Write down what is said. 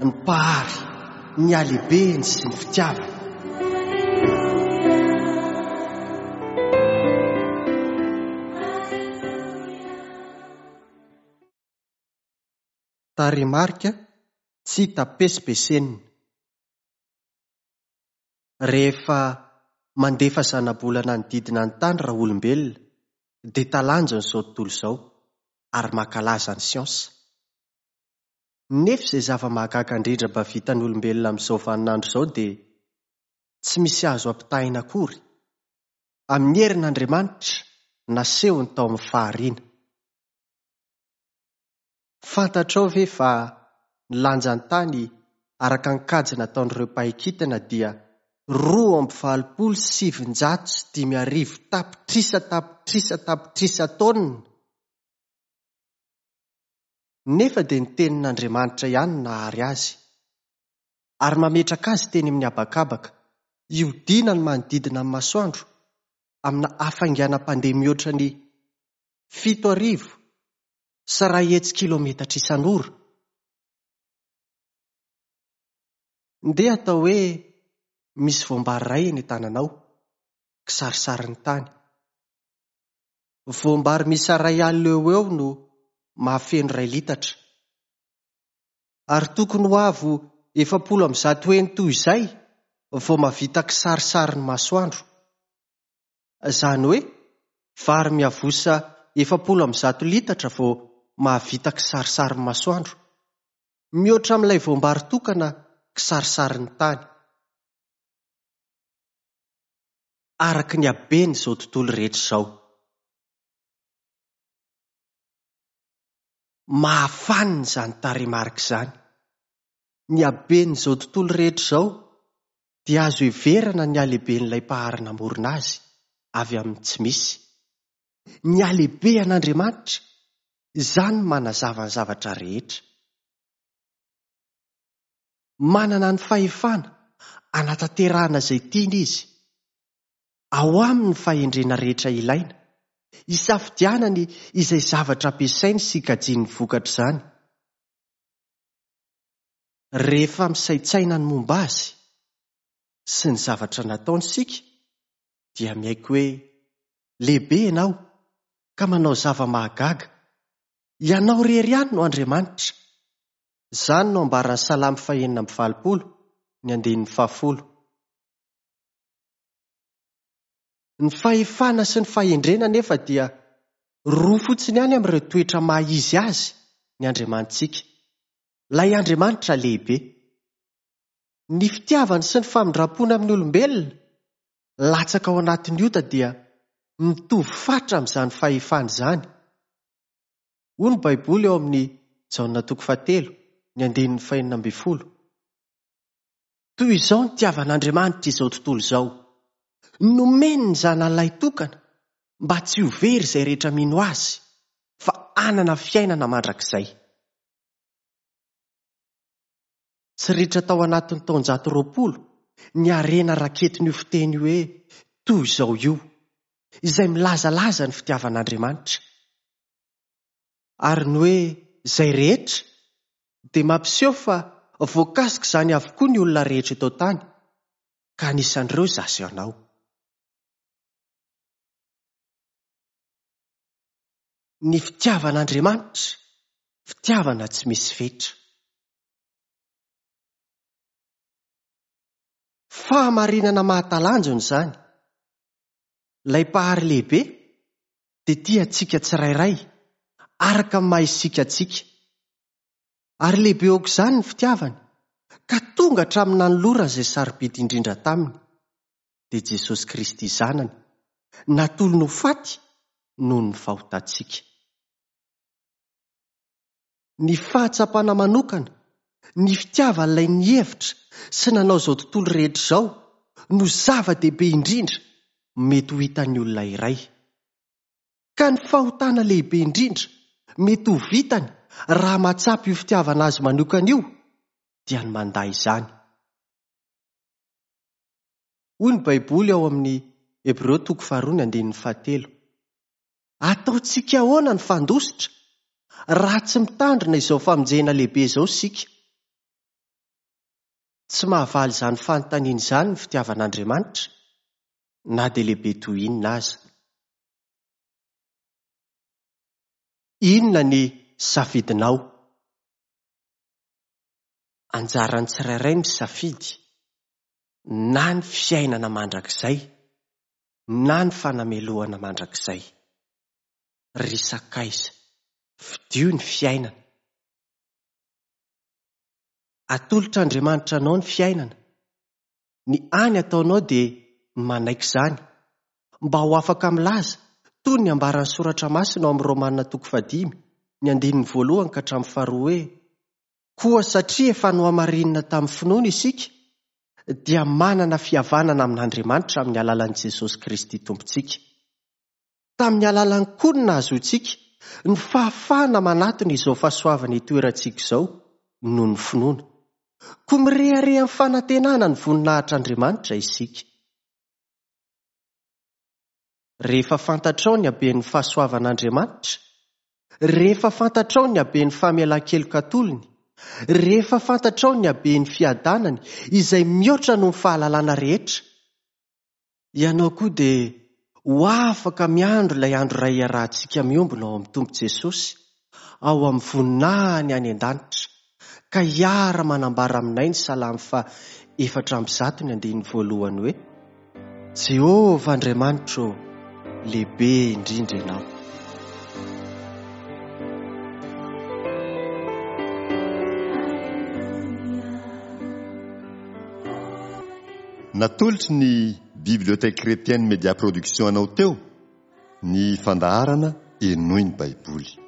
ny Mpahary, ny halehibeny sy ny fitiavany. Tarehimarika tsy hita pesipesenina. Rehefa mandefa zanabolana hanodidina ny tany raolombelona dia talanjona izao tontolo izao ary mankalaza ny siansa. Nefa izay zava-mahagaga indrindra mba vitan'ny olombelona amin'izao vaninandro izao dia tsy misy azo ampitahaina akory amin'ny herin'Andriamanitra nasehony tao amin'ny fahariana. Fantatrao ve fa ny lanjan'ny tany araka ny kajy nataon'ireo mpahay kintana dia 982 tapitrisa tapitrisa tapitrisa taonina? Nefa dia ny Tenin'Andriamanitra ihany no nahary azy, ary mametraka azy teny amin'ny habakabaka, hiodinany manodidina ny masoandro amina hafainganam-pandeha mihoatra ny 107 kilometatra isan'ora. Ndeha atao hoe misy voambary iray eny an-tananao, kisarisarin'ny tany. Voambary miisa 1000 eo ho eo no mahafeno iray litatra. Ary tokony ho avo 140 heny toy izay vao mahavita kisarisarin'ny masoandro. Izany hoe vary miavosa 140 litatra vao mahavita kisarisarin'ny masoandro. Mihoatra amin'ilay voambary tokana kisarisarin'ny tany. Araka ny haben'izao tontolo rehetra izao. Mahafanina izany tarehimarika izany. Ny haben'izao tontolo rehetra izao dia azo heverana ny halehiben'ilay Mpahary namorona azy avy amin'ny tsy misy. Ny halehibean'Andriamanitra, izany no manazava ny zavatra rehetra. Manana ny fahefana hanatanterahana izay tiany izy. Ao aminy ny fahendrena rehetra ilaina, hisafidianany izay zavatra ampiasainy sy kajiany ny vokatr'izany. Rehefa misaintsaina ny momba azy sy ny zavatra nataony isika, dia miaiky hoe, Lehibe ianao, ka manao zava-mahagaga. Ianao irery ihany no Andriamanitra. Izany no ambaran'ny Salamo fahenina amby valopolo, ny andininy fahafolo. Ny fahefana sy ny fahendrena anefa dia roa fotsiny ihany amin'ireo toetra maha izy azy ny Andriamanitsika, ilay Andriamanitra lehibe. Ny fitiavany sy ny famindram-pony amin'ny olombelona latsaka ao anatin'ny ota dia mitovy fatra amin'izany fahefana izany. Hoy ny Baiboly ao amin'ny Jaona toko fahatelo, ny andininy fahenina ambin'ny folo. Toy izao nitiavan'Andriamanitra izao tontolo izao, nomeny ny Zanany lahitokana mba tsy ho very izay rehetra mino Azy, fa hanana fiainana mandrakizay. Tsy ritra tao anatin'ny taonjato 20 ny harena raketin'io fiteny hoe toy izao io, izay milazalaza ny fitiavan'Andriamanitra. Ary ny hoe izay rehetra dia mampiseho fa voakasik'izany avokoa ny olona rehetra eto an-tany, ka anisan'ireo izaho sy ianao. Ny fitiavan'Andriamanitra, fitiavana tsy misy fetra. Fahamarinana mahatalanjona izany. Ilay Mpahary lehibe dia tia antsika tsirairay, araka ny maha isika antsika. Ary lehibe aok'izany ny fitiavany, ka tonga hatramin'ny nanolorany izay sarobidy indrindra taminy, dia Jesosy Kristy Zanany, natolony ho faty noho ny fahotantsika. Ny fahatsapana manokana ny fitiavan'ilay nihevitra sy nanao izao tontolo rehetra izao no zava-dehibe indrindra mety ho hitan'ny olona iray. Ka ny fahotana lehibe indrindra mety ho vitany raha mahatsapa io fitiavana azy manokana io dia ny mandà izany. Hoy ny Baiboly ao amin'ny Hebreo toko faharoa ny andininy fahatelo. Ataontsika ahoana ny fandositra raha tsy mitandrina izao famonjena lehibe izao isika? Tsy mahavaly izany fanontaniana izany ny fitiavan'Andriamanitra, na dia lehibe toy inona aza. Inona ny safidinao? Anjaran'ny tsirairay ny misafidy na ny fiainana mandrakizay na ny fanamelohana mandrakizay. Ry sakaiza, fidio ny fiainana. Atolotr'Andriamanitra anao ny fiainana. Ny hany ataonao dia ny manaiky izany, mba ho afaka milaza, toy ny ambaran'ny Soratra Masina ao amin'ny Romana toko fahadimy, ny andininy voalohany ka hatramin'ny faharoa hoe, Koa satria efa nohamarinina tamin'ny finoana isika, dia manana fihavanana amin'Andriamanitra amin'ny alalan'i Jesosy Kristy Tompontsika. Tamin'ny alalany koa no nahazoantsika ny fahafahana manatona izao fahasoavana itoerantsika izao noho ny finoana. Koa mirehareha amin'ny fanantenana ny voninahitr'Andriamanitra isika. Rehefa fantatrao ny haben'ny fahasoavan'Andriamanitra, rehefa fantatrao ny haben'ny famelan-keloka atolony, rehefa fantatrao ny haben'ny fiadanany izay mihoatra noho ny fahalalana rehetra, ianao koa dia ho afaka miandry ilay andro iray hiarahantsika miombona ao amin'ny Tompo Jesosy, ao amin'ny voninahiny any an-danitra, ka hiara-manambara aminay ny Salamo faha 104 ny andininy voalohany hoe, Jehovah Andriamanitro ô, lehibe indrindra Ianao. Natolotry ny Bibliothèque Chrétienne Média Production anao teo ny fandaharana Henoy ny Baiboly.